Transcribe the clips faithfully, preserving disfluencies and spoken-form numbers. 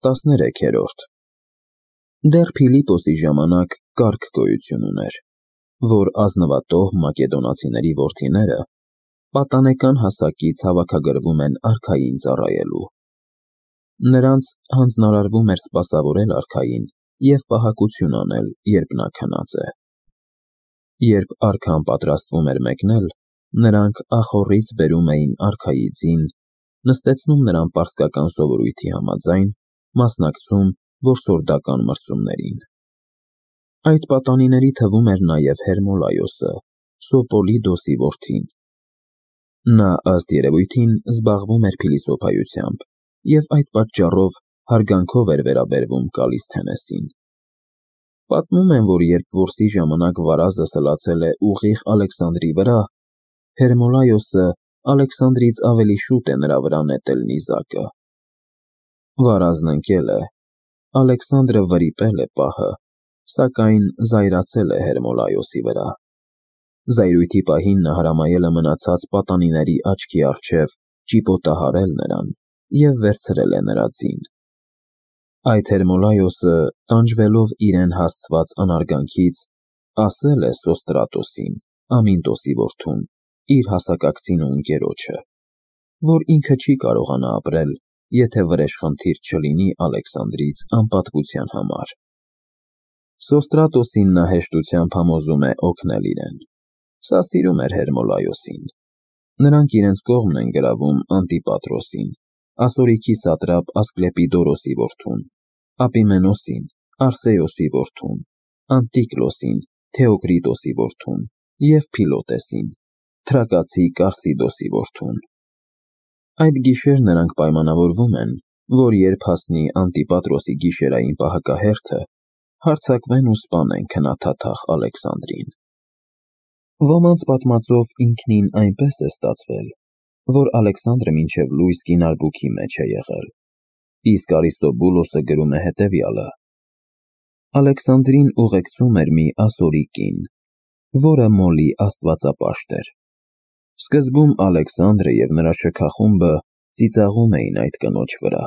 տասներեքերորդ Դեռ Փիլիպոսի ժամանակ կարգ գոյություն ուներ, որ ազնվատոհ մակեդոնացիների որդիները պատանեկան հասակից հավաքագրվում են արքային ծառայելու։ Նրանց հանձնարարվում էր սպասավորել արքային և պահակություն անել, երբ նա քնած է։ Երբ արքան պատրաստվում էր մեկնել, նրանք ախոռից բերում էին արքայի ձին, նստեցնում նրան պարսկական սովորույթի համաձայն, մասնակցում որսորդական մրցումներին։ Այդ պատանիների թվում էր նաև Հերմոլայոսը, Սոպոլիդոսի որդին։ Նա ըստ երևույթին զբաղվում էր փիլիսոփայությամբ և այդ պատճառով հարգանքով էր վերաբերվում Կալիսթենեսին։ Պատմում են, որ երբ որսի ժամանակ վարազը սլացել է ուղիղ Ալեքսանդրի վրա, Հերմոլայոսը Ալեքսանդրից ավելի շուտ է նրա վրա նետել նիզակը։ Վարազն ընկել է, Ալեքսանդրը վրիպել է պահը, սակայն զայրացել է Հերմոլայոսի վրա։ Զայրույթի պահին նա հրամայել է մնացած պատանիների աչքի առջև ճիպոտահարել նրան և վերցրել է նրա ձին։ Այդ Հերմոլայոսը, տանջվելով իրեն հասցված անարգանքից, ասել է Սոստրատոսին, Ամինտոսի որդուն, իր հասակակցին ու ընկերոջը, որ ինքը չի կարողանա ապրել, եթե վրեժխնդիր չլինի Ալեքսանդրից անպատվության համար։ Սոստրատոսին նա հեշտությամբ համոզում է օգնել իրեն։ Սա սիրում էր Հերմոլայոսին։ Նրանք իրենց կողմն են գրավում Անտիպատրոսին, Ասորիքի սատրապ Ասկլեպիդորոսի որդուն, Ապիմենոսին, Արսեոսի որդուն, Անտիկլոսին, Թեոկրիտոսի որդուն և Փիլոտեսին, թրակացի Կարսիդոսի որդուն։ Այդ գիշեր նրանք պայմանավորվում են, որ երբ հասնի Անտիպատրոսի գիշերային պահակահերթը, հարձակվեն ու սպանեն քնաթաթախ Ալեքսանդրին։ Ոմանց պատմածով ինքնին այնպես է ստացվել, որ Ալեքսանդրը մինչև լույս կինարբուքի մեջ է եղել, իսկ Արիստոբուլոսը գրում է հետևյալը. Ալեքսանդրին ուղեկցում էր մի ասորի կին, որը Մոլի աստվածապաշտ էր։ Սկզբում Ալեքսանդրը և նրա շքախումբը ծիծաղում էին այդ կնոջ վրա,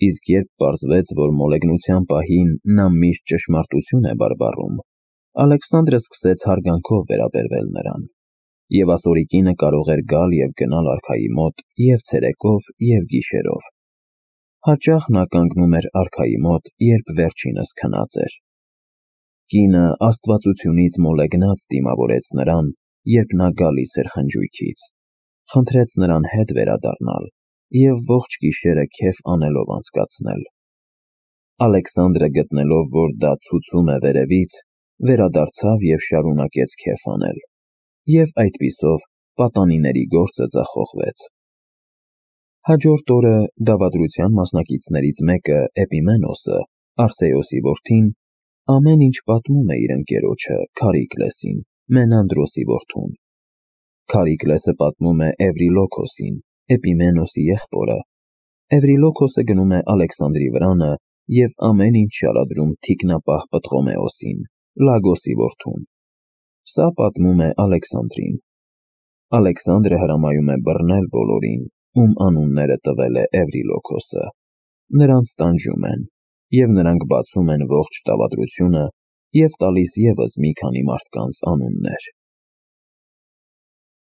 իսկ երբ պարզվեց, որ մոլեգնության պահին նա միշտ ճշմարտություն է բարբառում, Ալեքսանդրը սկսեց հարգանքով վերաբերվել նրան, և ասորի կինը կարող էր գալ և գնալ արքայի մոտ և ցերեկով, և գիշերով։ Հաճախ նա կանգնում էր արքայի մոտ, երբ վերջինս քնած էր։ Կինը աստվածությունից մոլեգնած դիմավորեց նրան, երբ նա գալիս էր խնջույքից, խնդրեց նրան հետ վերադառնալ և ողջ գիշերը քեֆ անելով անցկացնել։ Ալեքսանդրը, գտնելով, որ դա ցուցում է վերևից, վերադարձավ և շարունակեց քեֆ անել, և այդպիսով պատանիների գործը ձախողվեց։ Հաջորդ օրը դավադրության մասնակիցներից մեկը Էպիմենոսը, Արսեոսի որդին, ամեն ինչ պատմում է իր ընկերոջը Քարիքլեսին, Մենանդրոսի որդուն։ Քարիքլեսը պատմում է Էվրիլոքոսին, Էպիմենոսի եղբորը։ Էվրիլոքոսը գնում է Ալեքսանդրի վրանը և ամեն ինչ շարադրում թիկնապահ Պտղոմեոսին, Լագոսի որդուն։ Սա պատմում է Ալեքսանդրին։ Ալեքսանդրը հրամայում է բռնել բոլորին, ում անունները տվել է Էվրիլոքոսը։ Նրանց տանջում են, և նրանք բացում են ողջ դավադրությունը և տալիս ևս մի քանի մարդկանց անուններ։